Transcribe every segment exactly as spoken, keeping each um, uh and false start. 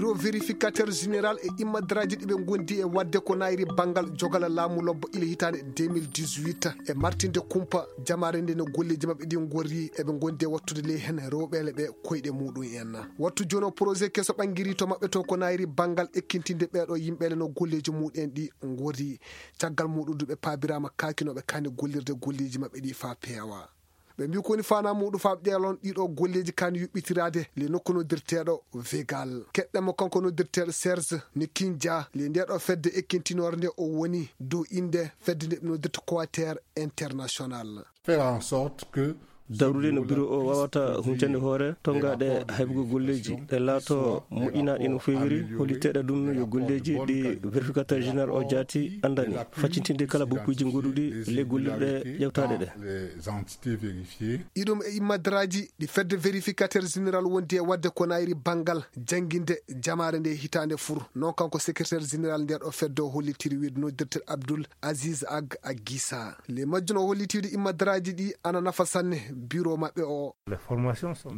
Ɗo vérificateur général e immadaraaji ɗi ɓe ngondi e waɗde ko naayri banngal jogala laamu lobbo ile hitaande deux mille dix-huit, e martinde kumpa jamaare nde no golleeji maɓɓe ɗi ngorri, eɓe ngondi e wattude ley heen rewɓeele ɓe koyɗe muɗum en. Wattu jooni o projet keso ɓanngiri to maɓɓe to ko naayri banngal ekkintinde ɓeeɗo yimɓeele no golleeji muɗum en ɗi ngorri. Caggal muɗum du ɓe paabiraama kaakinooɓe kaani gollirde golleeji maɓɓe ɗi faa peewa. Ɓe mbii ko woni faanaa muɗum faa ƴeewlon ɗiɗo golleeji kaani yuɓɓitiraade le nokku noddirteeɗo Vegal. Keɗɗen mo kanko noddirteeɗo Serge Nikinja le ndeeɗo fedde ekkintinoore nde o woni dow innde fedde nde ɓe noddirta Coater International. Faire en sorte que dawrude no biro o wawata huncande hoore tongaaɗe haybugol golleeji ɗe laato moƴƴinaaɗe no feewiri, holliteeɗe ɗum yo golleeji ɗi vérificateur général o jaati anndani, faccintinde kala boppuuji goɗɗuɗi le gollirɗe ƴewtaaɗe ɗe. Les entités vérifiées. Iɗum e immadaraaji ɗi fedde vérificateur général wondi e waɗde ko naayri banngal jannginde jamaare nde hitaande fur. Non kanko secrétaire général ndeeɗo fedde o hollitiri wiide noddirte Abdoul Aziz Ag Agisa. Le majjuno hollitiiɗo immadaraaji ɗi ana nafa sanne biro maɓɓe o.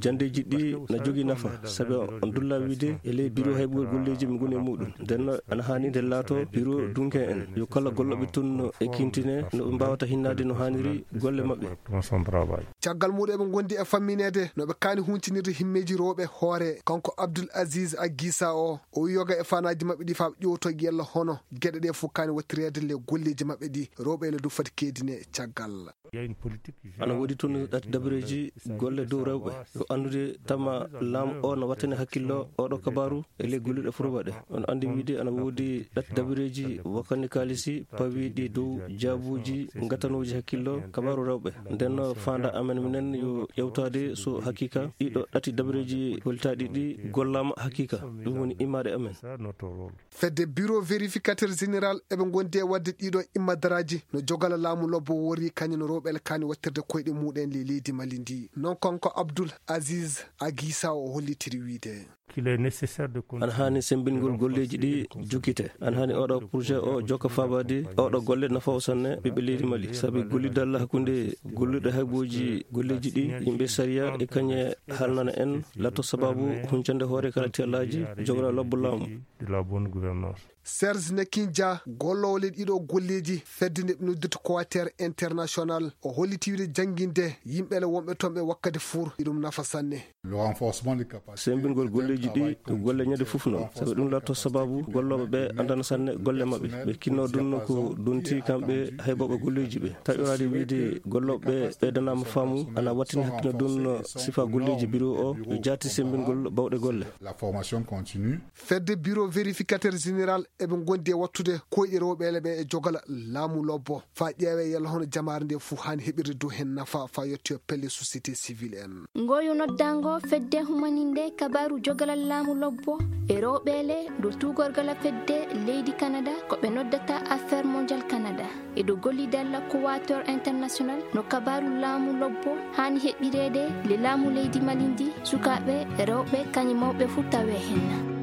Janndeeji ɗi na jogii nafa, sabi on dulla wiide e ley biro haybugol golleeji mi ngoni e muɗum. Nden no ana haani nde laato biro dunke en. Yo kala gollooɓe tun no e kintine no ɓe mbaawata hinnaade no haaniri golle maɓɓe. Caggal muɗum eɓe ngondi e fammineede no ɓe kaani huncinirde himmeeji rewɓe hoore. Kanko Abdoul Aziz Agisa o, o yoga e fanaaji maɓɓe ɗi faa ƴewto yella hono geɗe ɗe fof kaani wattireede le golleeji maɓɓe ɗi rewɓe ene du fati keedine caggal. Ana woodi tun ɗati dabareeji golle dow rewɓe. Yo anndude tama laamu o no wattani hakkillo oɗo kabaaru e ley gollirɗe furba ɗe. On anndi wiide ana woodi ɗati dabareeji wakkani kaalisi pawiiɗi dow jaabuuji ngatanooji hakkillo kabaaru rewɓe. Nden no faanda amen minen yo ƴewtaade so hakiika ɗiɗo ɗati dabareeji holtaaɗi ɗi gollaama hakiika. Ɗum woni imaade amen. Fedde bureau vérificateur général eɓe ngondi e waɗde ɗiɗo immadaraaji no jogala laamu lobbo wori kañum no rewɓe ele kaani wattirde koyɗe muɗen le leydi Mali ndi. Non kanko Abdoul Aziz Agisa o hollitiri wiide. Ana haani semmbingol golleeji ɗi jukkite. Ana haani oɗo projet o jokka faabaade oɗo golle nafa o sanne ɓiɓɓe leydi Mali. Sabi gollidal hakkunde gollirɗe haybooji golleeji ɗi yimɓe sariya e kañe halnana en latto sababu huncande hoore kala tiyallaaji jogora lobbo laamu. Serge Nekinja, golloowo le ɗiɗo golleeji fedde nde ɓe noddirta Coater International, o holliti wiide jannginde yimɓe le wonɓe toon ɓe wakkati fur iɗum nafa sanne. Sembingol golleeji ɗi ko golle ñande fof noon, sabi ɗum latto sababu gollooɓe ɓe anndana sanne golle maɓɓe. Ɓe kinno ɗum no ko donti kamɓe haybooɓe golleeji ɓe. Taƴoraade wiide gollooɓe ɓe ɓeydanaama faamu ana wattini hakkino ɗum no sifa golleeji bureau o yo jaati sembingol bawɗe golle. La formation continue. Fedde bureau vérificateur général eɓe ngondi e wattude koyɗe rewɓe ele ɓe e jogala laamu lobbo. Faa ƴeewe yalla hono jamaare nde fof haani heɓirde dow heen nafa faa yettoyo pelle société civile en. Ngoyu noddango fedde humaninde kabaaru jogalal laamu lobbo e rewɓe ele dow tuugorgal fedde leydi Canada ko ɓe noddata Affaire Mondiale Canada. E dow gollidal Coater International no kabaaru laamu lobbo haani heɓireede le laamu leydi Mali ndi, sukaaɓe, rewɓe, kañum mawɓe fof tawe heen.